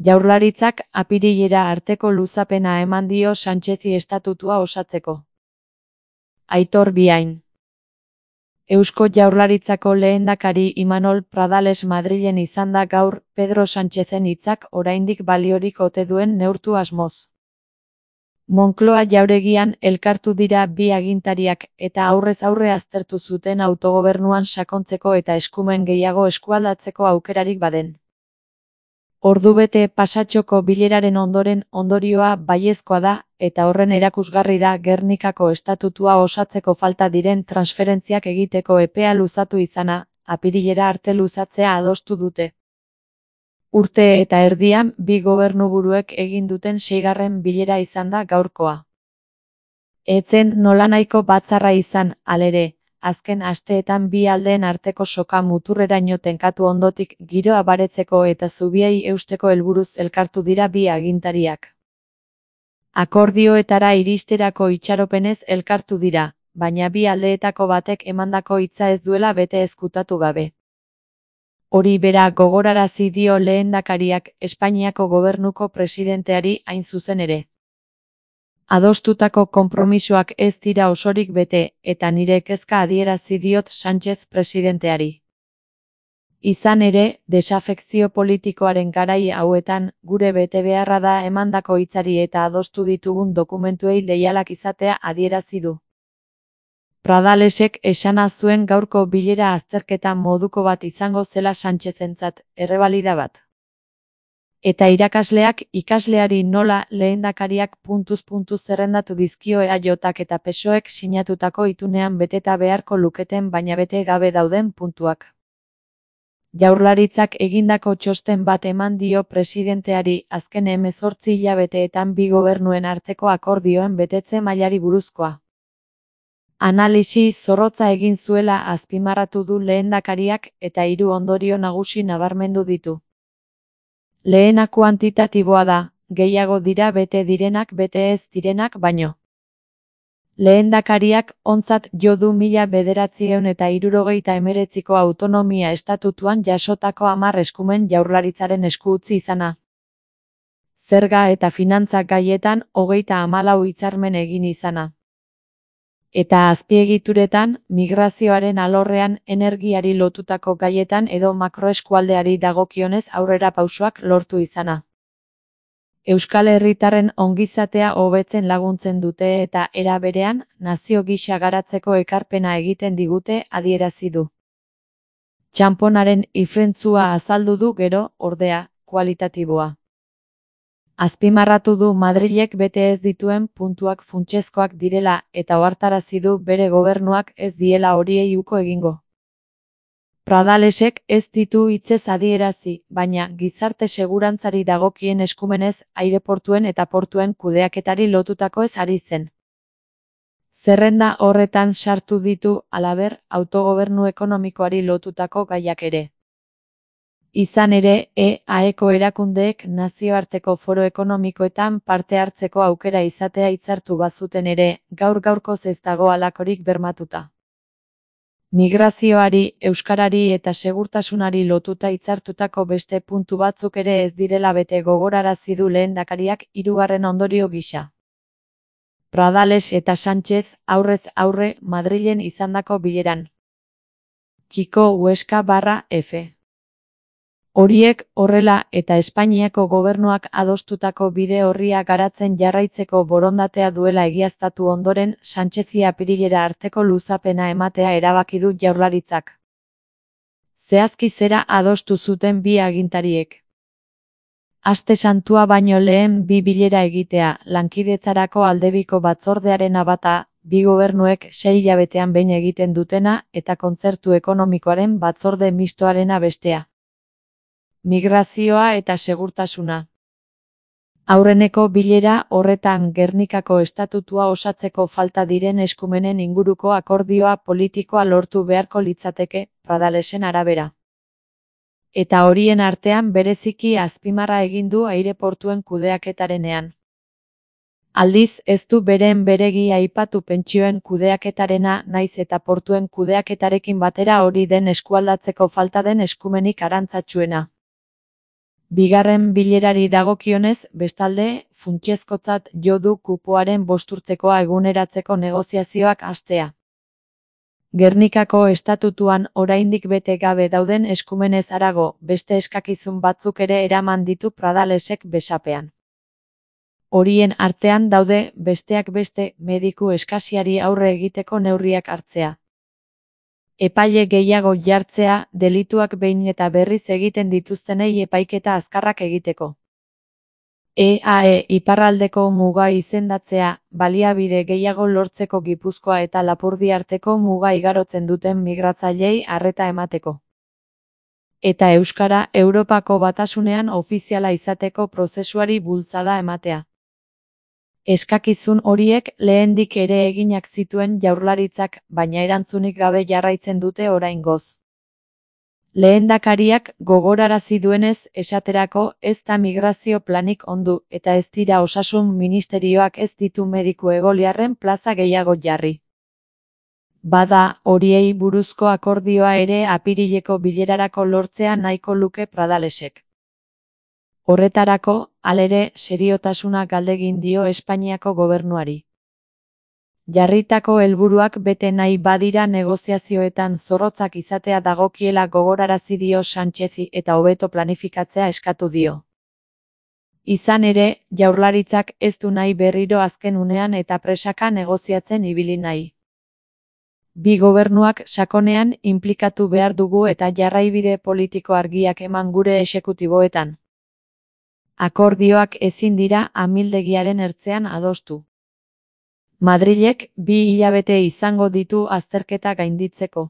Jaurlaritzak apirilera arteko luzapena eman dio Sánchezi estatutua osatzeko. Aitor Biain. Eusko Jaurlaritzako lehendakari Imanol Pradales Madrilen izan da gaur, Pedro Sánchezen hitzak oraindik baliorik ote duen neurtu asmoz. Moncloa jauregian elkartu dira bi agintariak eta aurrez aurre aztertu zuten autogobernuan sakontzeko eta eskumen gehiago eskualdatzeko aukerarik baden. Ordubete pasatxoko bileraren ondoren ondorioa baiezkoa da, eta horren erakusgarri da Gernikako estatutua osatzeko falta diren transferentziak egiteko epea luzatu izana, apirilera arte luzatzea adostu dute. Urte eta erdian bi gobernuburuek egin duten 6. bilera izan da gaurkoa. Etzen nolanahiko batzarra izan, halere, azken asteetan bi aldeen arteko soka muturreraino tenkatu ondotik giroa baretzeko eta zubiei eusteko helburuz elkartu dira bi agintariak. Akordioetara iristerako itxaropenez elkartu dira, baina bi aldeetako batek emandako hitza ez duela bete ezkutatu gabe. Hori bera gogorarazi dio lehendakariak Espainiako gobernuko presidenteari hain zuzen ere. Adostutako konpromisoak ez dira osorik bete, eta nire kezka adierazi diot Sánchez presidenteari. Izan ere, desafekzio politikoaren garai hauetan, gure betebeharra da emandako hitzari eta adostu ditugun dokumentuei leialak izatea adierazi du. Pradalesek esana zuen gaurko bilera azterketa moduko bat izango zela Sánchezentzat, errebalida bat. Eta irakasleak ikasleari nola lehendakariak zerrendatu dizkio EAJak eta PSOEk sinatutako itunean beteta beharko luketen baina bete gabe dauden puntuak. Jaurlaritzak egindako txosten bat eman dio presidenteari azken 18 hilabeteetan bi gobernuen arteko akordioen betetze mailari buruzkoa. Analisi zorrotza egin zuela azpimarratu du lehendakariak eta 3 ondorio nagusi nabarmendu ditu. Lehena kuantitatiboa da, gehiago dira bete direnak bete ez direnak baino. Lehendakariak ontzat jo du 1979ko autonomia estatutuan jasotako 10 eskumen Jaurlaritzaren esku utzi izana. Zerga eta finantza gaietan 34 hitzarmen egin izana. Eta azpiegituretan, migrazioaren alorrean energiari lotutako gaietan edo makroeskualdeari dagokionez aurrera pausoak lortu izana. Euskal herritarren ongizatea hobetzen laguntzen dute eta era berean, nazio gisa garatzeko ekarpena egiten digute adierazi du. Txanponaren ifrentzua azaldu du gero, ordea, kualitatiboa. Azpimarratu du Madrilek bete ez dituen puntuak funtsezkoak direla eta ohartarazi du bere gobernuak ez diela horiei uko egingo. Pradalesek ez ditu hitzez adierazi, baina gizarte segurantzari dagokien eskumenez aireportuen eta portuen kudeaketari lotutako ez ari zen. Zerrenda horretan sartu ditu, halaber, autogobernu ekonomikoari lotutako gaiak ere. Izan ere, EAeko erakundeek nazioarteko foro ekonomikoetan parte hartzeko aukera izatea hitzartu bazuten ere, gaur-gaurkoz ez dago halakorik bermatuta. Migrazioari, euskarari eta segurtasunari lotuta hitzartutako beste puntu batzuk ere ez direla bete gogorarazi du lehendakariak 3. ondorio gisa. Pradales eta Sánchez aurrez aurre Madrilen izandako bileran. Kiko Huesca/F. Horiek horrela eta Espainiako gobernuak adostutako bide orria garatzen jarraitzeko borondatea duela egiaztatu ondoren Sánchezi apirilera arteko luzapena ematea erabaki du Jaurlaritzak. Zehazki zera adostu zuten bi agintariek. Aste Santua baino lehen bi bilera egitea, lankidetzarako aldebiko batzordearena bata, bi gobernuek 6 hilabetean behin egiten dutena eta kontzertu ekonomikoaren batzorde mistoarena bestea. Migrazioa eta segurtasuna. Aurreneko bilera horretan Gernikako estatutua osatzeko falta diren eskumenen inguruko akordioa politikoa lortu beharko litzateke, Pradalesen arabera. Eta horien artean bereziki azpimarra egin du aireportuen kudeaketarenean. Aldiz, ez du beren beregi aipatu pentsioen kudeaketarena naiz eta portuen kudeaketarekin batera hori den eskualdatzeko falta den eskumenik arantzatsuena. Bigarren bilerari dagokionez, bestalde, funtsezkotzat jo du kupoaren 5 urtekoa eguneratzeko negoziazioak hastea. Gernikako estatutuan oraindik bete gabe dauden eskumenez harago, beste eskakizun batzuk ere eraman ditu Pradalesek besapean. Horien artean daude, besteak beste, mediku eskasiari aurre egiteko neurriak hartzea. Epaile gehiago jartzea, delituak behin eta berriz egiten dituztenei epaiketa azkarrak egiteko. EAE iparraldeko muga izendatzea, baliabide gehiago lortzeko Gipuzkoa eta Lapurdi arteko muga igarotzen duten migratzaileei arreta emateko. Eta euskara Europako Batasunean ofiziala izateko prozesuari bultzada ematea. Eskakizun horiek lehendik ere eginak zituen Jaurlaritzak, baina erantzunik gabe jarraitzen dute oraingoz. Lehendakariak gogorarazi duenez, esaterako, ez da migrazio planik ondu, eta ez dira Osasun Ministerioak ez ditu mediku egoliarren plaza gehiago jarri. Bada, horiei buruzko akordioa ere apirileko bilerarako lortzea nahiko luke Pradalesek. Horretarako, halere, seriotasuna galdegin dio Espainiako gobernuari. Jarritako helburuak bete nahi badira negoziazioetan zorrotzak izatea dagokiela gogorarazi dio Sánchezi eta hobeto planifikatzea eskatu dio. Izan ere, Jaurlaritzak ez du nahi berriro azken unean eta presaka negoziatzen ibili nahi. Bi gobernuak sakonean inplikatu behar dugu eta jarraibide politiko argiak eman gure exekutiboetan. Akordioak ezin dira amildegiaren ertzean adostu. Madrilek 2 hilabete izango ditu azterketa gainditzeko.